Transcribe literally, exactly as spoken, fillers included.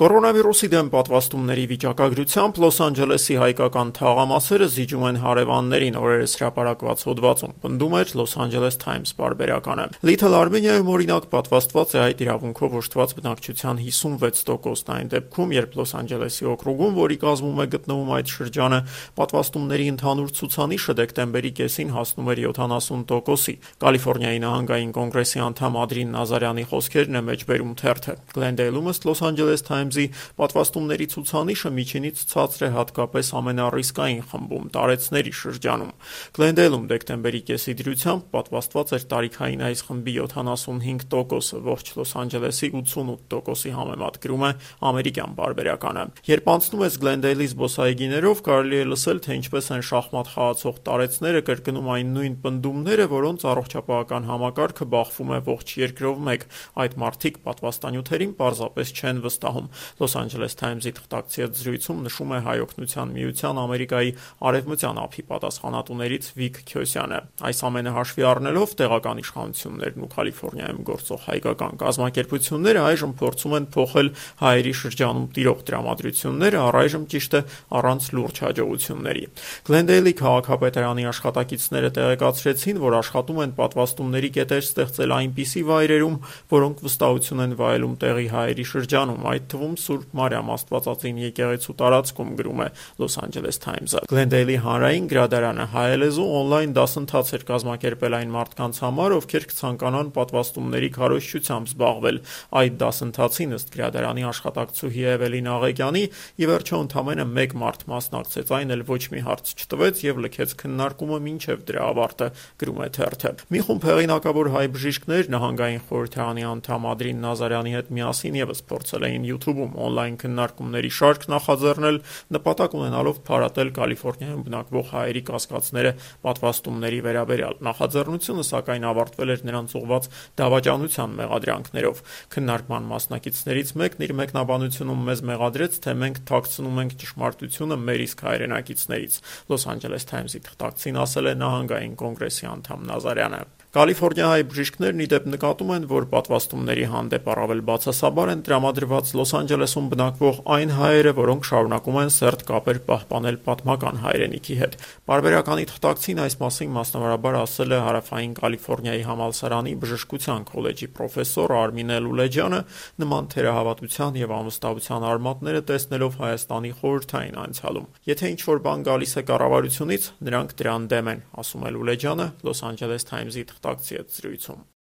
Կորոնավիրուսի դեմ պատվաստումների վիճակագրությամբ Լոս Անջելեսի հայկական թաղամասերը զիջում են հարևաններին, օրերս հրապարակված հոդվածում պնդում էր Los Angeles Times պարբերականը։ Little Armenia-ում օրինակ պատվաստված է այդ իրավունքով օժտված բնակչության հիսունվեց տոկոսն այն դեպքում, երբ Լոս Անջելեսի օկրուգում, որի կազմում է գտնվում այդ շրջանը, պատվաստումների ընդհանուր ցուցանիշը դեկտեմբերի կեսին հասնում էր յոթանասուն տոկոսի։ Կալիֆոռնիայի նահանգային կոնգրեսի անդամ Ադրին Նազարյանի խոսքերն է մեջբերում թերթը։ Glendale-ում ըստ Los Angeles Times-ի պատվաստումների ցուցանիշը միջինից ցածր է հատկապես ամենառիսկային խմբում՝ տարեցների շրջանում։ Glendale-ում դեկտեմբերի կեսի դրությամբ պատվաստված էր տարիքային այս խմբի յոթանասունհինգ տոկոսը, ողջ Լոս Անջելեսի ութսունութ տոկոսի համեմատ, գրում է ամերիկյան պարբերականը։ Երբ անցնում ես Glendale-ի զբոսայգիներով, կարելի է լսել, թե ինչպես են շախմատ խաղացող տարեցները կրկնում այն նույն պնդումները, որոնց առողջապահական համակարգը բախվում է ողջ երկրով մեկ։ Այդ մարդիկ պատվաստանյութերին պարզապես չեն վստահում։ Los Angeles Times-ի թղթակցի հետ զրույցում նշում է Հայ օգնության միության Ամերիկայի արևմտյան ափի պատասխանատուներից Վիկ Քյոսյանը։ Այս ամենը հաշվի առնելով, տեղական իշխանություններն ու Կալիֆոռնիայում գործող հայկական կազմակերպությունները այժմ փորձում են փոխել հայերի շրջանում տիրող տրամադրությունները, առայժմ ճիշտ է առանց լուրջ հաջողությունների։ Glendale-ի քաղաքապետարանի աշխատակիցները տեղեկացրեցին, որ աշխատում են պատվաստումների կետեր ստեղծել այնպիսի վայրերում, որոնք վստահություն են վայելում տեղի հայերի շրջանում, այդ թվում Սուրբ Մարիամ Աստվածածին եկեղեցու տարածքում, գրում է Los Angeles Times-ը։ Glendale-ի հանրային գրադարանը հայալեզու օնլայն դասընթաց էր կազմակերպել այն մարդկանց համար, ովքեր կցանկանան պատվաստումների քարոզչությամբ զբաղվել։ Այդ դասընթացին, ըստ գրադարանի աշխատակցուհի Էվելին Աղեկյանի, ի վերջո ընդամենը մեկ մարդ մասնակցեց, այն էլ ոչ մի հարց չտվեց եւ լքեց քննարկումը մինչեւ դրա ավարտը, գրում է թերթը։ Մի խումբ հեղինակավոր հայ բժիշկներ նահանգային խորհրդարանի անդամ Ադրին Նազարյանի հետ միասին եւս փորձել էին YouTube-ում օնլայն քննարկումների շարք նախաձեռնել, նպատակ ունենալով փարատել Կալիֆոռնիայում բնակվող հայերի կասկածները պատվաստումների վերաբերյալ։ Նախաձեռնությունը սակայն ավարտվել էր նրանց ուղղված դավաճանության մեղադրանքներով։ Քննարկման մասնակիցներից մեկն իր մեկնաբանությունում մեզ մեղադրեց, թե մենք թաքցնում ենք ճշմարտությունը մեր իսկ հայրենակիցներից։ Los Angeles Times-ի թղթակցին ասել է նահանգային կոնգրեսի անդամ Նազարյանը։ Կալիֆոռնիայի բժիշկներն ի դեպ նկատում են, որ պատվաստումների հանդեպ առավել բացասաբար են տրամադրված Լոս Անջելեսում բնակվող այն հայերը, որոնք շարունակում են սերտ կապեր պահպանել պատմական հայրենիքի հետ։ Պարբերականի թղթակցին այս մասին մասնավորաբար ասել է Հարավային Կալիֆոռնիայի համալսարանի բժշկության քոլեջի պրոֆեսոր Արմինե Լուլեջյանը, նման թերահավատության եւ անվստահության արմատները տեսնելով Հայաստանի խորհրդային անցյալում։ Եթե ինչ-որ բան գալիս է կառավարությունից, նրանք դրան դեմ են, ասում է Լուլեջյանը Los Angeles Times-ի թղթակցի հետ զրույցում։